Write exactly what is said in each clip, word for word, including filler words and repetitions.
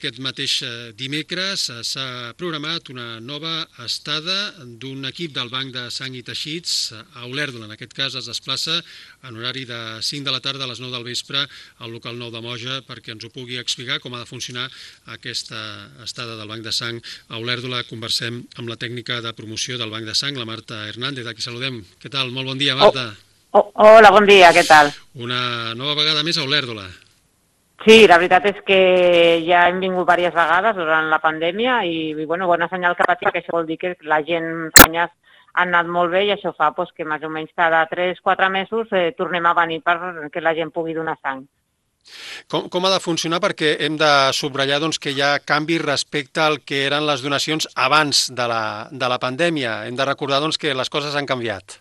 Aquest mateix dimecres s'ha programat una nova estada d'un equip del Banc de Sang i Teixits a Olèrdola. En aquest cas es desplaça en horari de cinc de la tarda a les nou del vespre al local nou de Moja perquè ens ho pugui explicar com ha de funcionar aquesta estada del Banc de Sang a Olèrdola. Conversem amb la tècnica de promoció del Banc de Sang, la Marta Hernández, a qui saludem. Què tal? Molt bon dia, Marta. Oh, oh, hola, bon dia, què tal? Una nova vegada més a Olèrdola. Sí, la veritat és que ja hem vingut diverses vegades durant la pandèmia i, bueno, bona senyal que patim, que això vol dir que la gent ha anat molt bé i això fa pues, que més o menys cada tres quatre mesos eh, tornem a venir perquè la gent pugui donar sang. Com, com ha de funcionar? Perquè hem de subratllar doncs, que hi ha canvis respecte al que eren les donacions abans de la, de la pandèmia. Hem de recordar doncs, que les coses han canviat.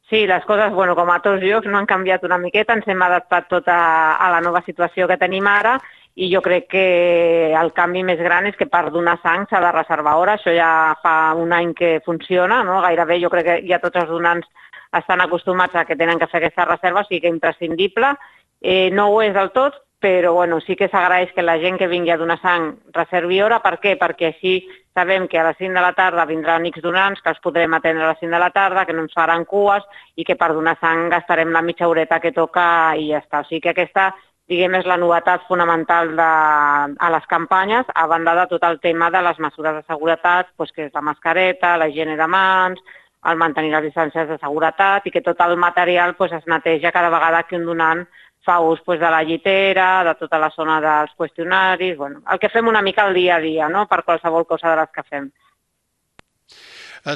Sí, les coses, bueno, com a tots llocs, no han canviat una miqueta, ens hem adaptat tot a, a la nova situació que tenim ara i jo crec que el canvi més gran és que per donar sang s'ha de reservar hora, això ja fa un any que funciona, no? Gairebé jo crec que ja tots els donants estan acostumats a que tenen que fer aquesta reserva, o sigui que imprescindible, eh, no ho és del tot, però bueno, sí que s'agraeix que la gent que vingui a donar sang reservi hora. Per què? Perquè així sabem que a les cinc de la tarda vindran X donants, que els podrem atendre a les cinc de la tarda, que no ens faran cues i que per donar sang gastarem la mitja horeta que toca i ja està. O sigui que aquesta, diguem, és la novetat fonamental de, a les campanyes, a banda de tot el tema de les mesures de seguretat, doncs que és la mascareta, la higiene de mans, el mantenir les distàncies de seguretat i que tot el material doncs, es neteja cada vegada que un donant fa ús pues, de la llitera, de tota la zona dels qüestionaris, bueno, el que fem una mica el dia a dia, no?, per qualsevol cosa de les que fem.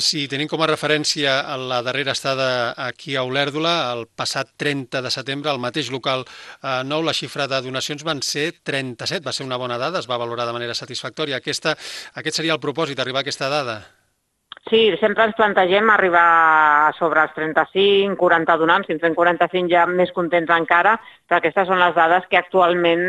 Si tenim com a referència la darrera estada aquí a Olèrdola, el passat trenta de setembre, al mateix local eh, nou, la xifra de donacions van ser trenta-set, va ser una bona dada, es va valorar de manera satisfactòria. Aquesta, aquest seria el propòsit, arribar a aquesta dada? Sí, sempre ens plantegem arribar sobre els trenta-cinc, quaranta donants, si en fem quaranta-cinc ja més contents encara, però aquestes són les dades que actualment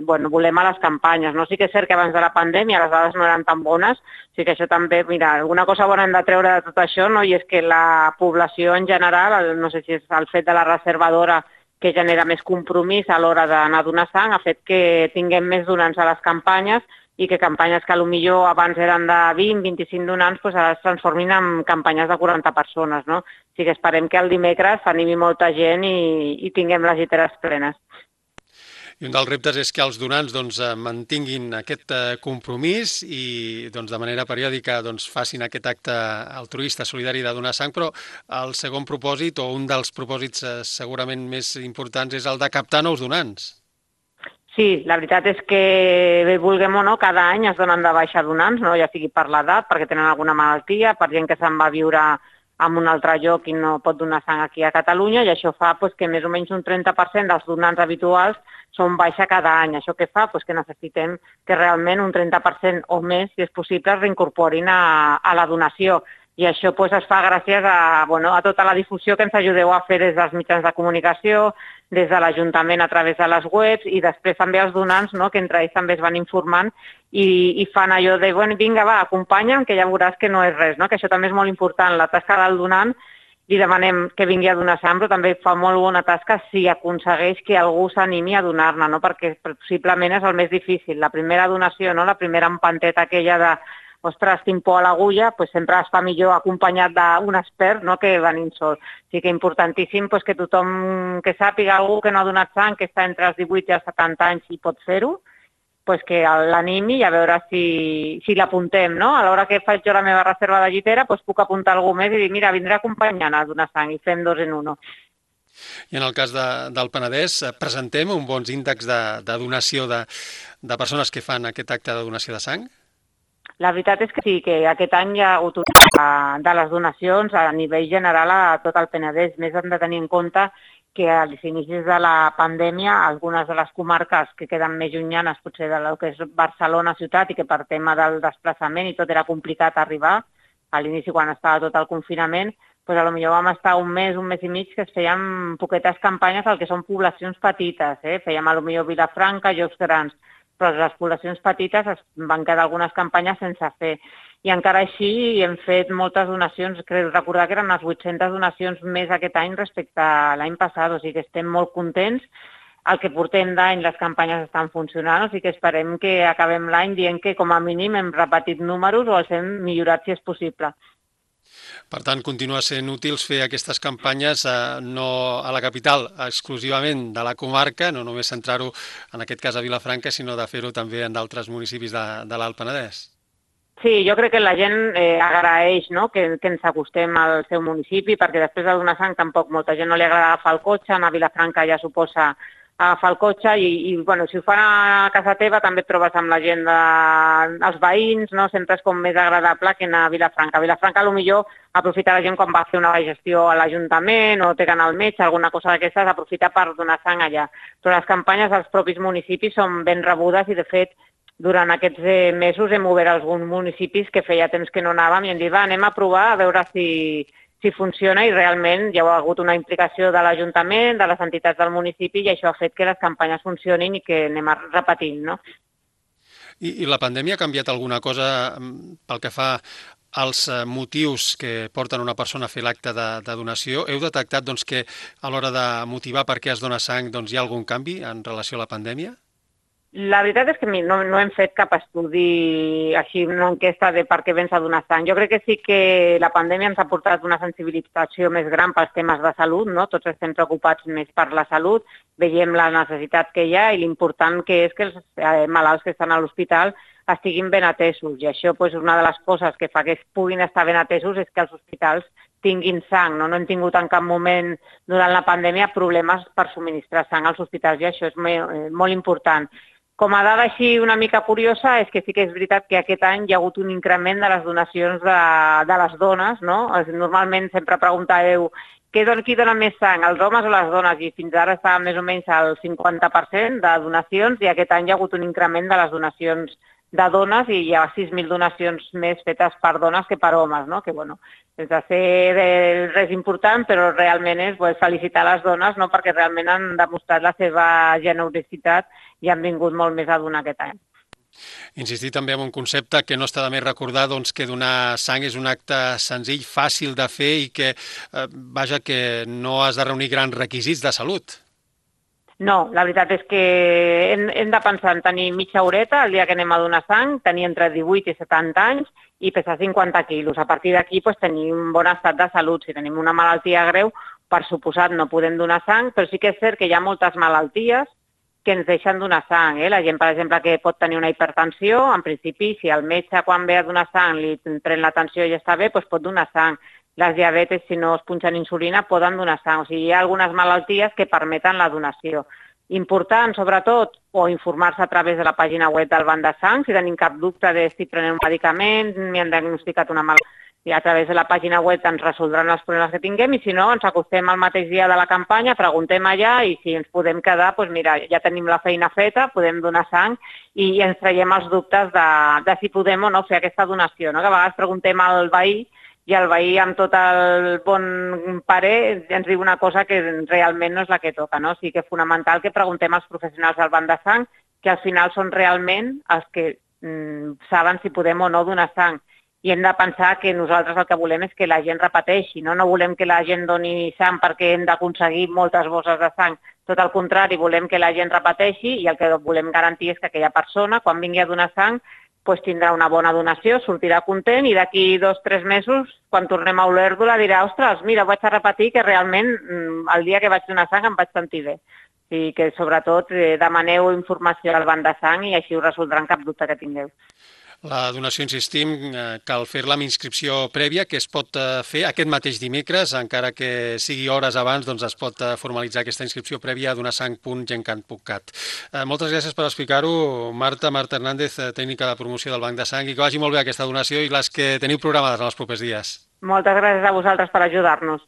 bueno, volem a les campanyes. No? Sí que és cert que abans de la pandèmia les dades no eren tan bones, sí que això també, mira, alguna cosa bona hem de treure de tot això, no? I és que la població en general, no sé si és el fet de la reservadora que genera més compromís a l'hora d'anar a donar sang, ha fet que tinguem més donants a les campanyes, i que campanyes que potser abans eren de vint a vint-i-cinc donants doncs ara es transformin en campanyes de quaranta persones. No? O sigui que esperem que el dimecres s'animi molta gent i, i tinguem les lliteres plenes. I un dels reptes és que els donants doncs, mantinguin aquest compromís i doncs, de manera periòdica doncs, facin aquest acte altruista, solidari de donar sang, però el segon propòsit o un dels propòsits segurament més importants és el de captar nous donants. Sí, la veritat és que, bé vulguem o no, cada any es donen de baixa donants, no? Ja sigui per l'edat, perquè tenen alguna malaltia, per gent que se'n va a viure en un altre lloc i no pot donar sang aquí a Catalunya, i això fa pues, que més o menys un trenta per cent dels donants habituals són baixa cada any. Això què fa? Pues que necessitem que realment un trenta per cent o més, si és possible, es reincorporin a, a la donació. I això pues, es fa gràcies a, bueno, a tota la difusió que ens ajudeu a fer des dels mitjans de comunicació, des de l'Ajuntament a través de les webs i després també els donants, no?, que entre ells també es van informant i, i fan allò de, bueno, vinga, va, acompanya'm, que ja veuràs que no és res, no?, que això també és molt important, la tasca del donant, li demanem que vingui a donar sang, però també fa molt bona tasca si aconsegueix que algú s'animi a donar-ne, no?, perquè possiblement és el més difícil. La primera donació, no?, la primera empanteta aquella de ostres, tinc por a l'agulla, doncs sempre es fa millor acompanyat d'un expert, no?, que venint sol. O sigui que importantíssim doncs, que tothom que sàpiga algú que no ha donat sang, que està entre els divuit i els setanta anys i pot fer-ho, doncs que l'animi i a veure si, si l'apuntem, no? A l'hora que faig jo la meva reserva de llitera, doncs puc apuntar algú més i dir, mira, vindré acompanyant a donar sang i fem dos en uno. I en el cas de, del Penedès, presentem un bons índexs de, de donació de, de persones que fan aquest acte de donació de sang? La veritat és que sí, que aquest any hi ha hagut de les donacions a nivell general a tot el Penedès. Més hem de tenir en compte que als inicis de la pandèmia algunes de les comarques que queden més llunyanes potser de lo que és Barcelona ciutat i que per tema del desplaçament i tot era complicat arribar, a l'inici quan estava tot el confinament, doncs potser vam estar un mes, un mes i mig que es feien poquetes campanyes al que són poblacions petites, eh? Fèiem potser Vilafranca, llocs grans, però les poblacions petites es van quedar algunes campanyes sense fer. I encara així hem fet moltes donacions, crec recordar que eren unes vuit-centes donacions més aquest any respecte a l'any passat, o sigui que estem molt contents. el que portem d'any les campanyes estan funcionant, o sigui que esperem que acabem l'any dient que com a mínim hem repetit números o els hem millorat si és possible. Per tant, continua sent útils fer aquestes campanyes eh, no a la capital exclusivament de la comarca, no només centrar-ho en aquest cas a Vilafranca, sinó de fer-ho també en d'altres municipis de, de l'Alt Penedès. Sí, jo crec que la gent eh, agraeix, no?, que, que ens acostem al seu municipi, perquè després de donar sang tampoc molta gent no li agrada agafar el cotxe, anar a Vilafranca ja suposa agafar el cotxe i, i bueno, si ho fan a casa teva també et trobes amb la gent de, els veïns, no? Sempre és com més agradable que anar a Vilafranca. A Vilafranca potser aprofita la gent quan va fer una gestió a l'Ajuntament o té que anar al metge, alguna cosa d'aquestes, aprofita per donar sang allà. Però les campanyes dels propis municipis són ben rebudes i de fet durant aquests mesos hem obert alguns municipis que feia temps que no anàvem i hem dit, va, anem a provar a veure si, si funciona i realment hi ha hagut una implicació de l'Ajuntament, de les entitats del municipi i això ha fet que les campanyes funcionin i que anem repetint, no? I, i la pandèmia ha canviat alguna cosa pel que fa als motius que porten una persona a fer l'acte de, de donació? Heu detectat doncs, que a l'hora de motivar per què es dona sang doncs, hi ha algun canvi en relació a la pandèmia? La veritat és que no, no hem fet cap estudi així, una enquesta de per què vens a donar sang. Jo crec que sí que la pandèmia ens ha portat una sensibilització més gran pels temes de salut, no? Tots estem preocupats més per la salut, veiem la necessitat que hi ha i l'important que és que els malalts que estan a l'hospital estiguin ben atesos. I això és una de les coses que fa que es puguin estar ben atesos és que els hospitals tinguin sang. No, no hem tingut en cap moment durant la pandèmia problemes per subministrar sang als hospitals i això és molt important. Com a dada així una mica curiosa és que sí que és veritat que aquest any hi ha hagut un increment de les donacions de, de les dones, no? Normalment sempre preguntàveu qui dona més sang, els homes o les dones? I fins ara està més o menys al cinquanta per cent de donacions i aquest any hi ha hagut un increment de les donacions de dones i hi ha sis mil donacions més fetes per dones que per homes, no? Que, bueno, sense ser res important, però realment és pues, felicitar les dones, no? Perquè realment han demostrat la seva generositat i han vingut molt més a donar aquest any. Insistir també en un concepte que no està de més recordar doncs, que donar sang és un acte senzill, fàcil de fer i que, eh, vaja, que no has de reunir grans requisits de salut. No, la veritat és que hem, hem de pensar en tenir mitja horeta el dia que anem a donar sang, tenir entre divuit i setanta anys i pesar cinquanta quilos. A partir d'aquí pues, tenir un bon estat de salut. Si tenim una malaltia greu, per suposat no podem donar sang, però sí que és cert que hi ha moltes malalties que ens deixen donar sang. Eh? La gent, per exemple, que pot tenir una hipertensió, en principi, si el metge quan ve a donar sang li pren l'atenció i ja està bé, doncs pot donar sang. Les diabetes, si no es punxen insulina, poden donar sang. O sigui, hi ha algunes malalties que permeten la donació. Important, sobretot, o informar-se a través de la pàgina web del Banc de Sang, si tenim cap dubte de si prenen un medicament, m'hi han diagnosticat una malaltia, i a través de la pàgina web ens resoldran els problemes que tinguem i si no, ens acostem al mateix dia de la campanya, preguntem allà i si ens podem quedar, doncs mira, ja tenim la feina feta, podem donar sang i ens traiem els dubtes de, de si podem o no fer aquesta donació, no? Que a vegades preguntem al veí i el veí amb tot el bon parer ens diu una cosa que realment no és la que toca, no? O sigui que és fonamental que preguntem als professionals del Banc de Sang que al final són realment els que mm, saben si podem o no donar sang. I hem de pensar que nosaltres el que volem és que la gent repeteixi, no? No volem que la gent doni sang perquè hem d'aconseguir moltes bosses de sang. Tot el contrari, volem que la gent repeteixi i el que volem garantir és que aquella persona, quan vingui a donar sang, pues, tindrà una bona donació, sortirà content i d'aquí dos o tres mesos, quan tornem a Olèrdola, dirà, ostres, mira, vaig a repetir que realment el dia que vaig donar sang em vaig sentir bé. O sigui que, sobretot, demaneu informació al Banc de Sang i així us resoldran cap dubte que tingueu. La donació, insistim, cal fer-la amb inscripció prèvia, que es pot fer aquest mateix dimecres, encara que sigui hores abans, doncs es pot formalitzar aquesta inscripció prèvia a donasang punt gencat punt cat. Moltes gràcies per explicar-ho, Marta, Marta Hernández, tècnica de promoció del Banc de Sang, i que vagi molt bé aquesta donació i les que teniu programades en els propers dies. Moltes gràcies a vosaltres per ajudar-nos.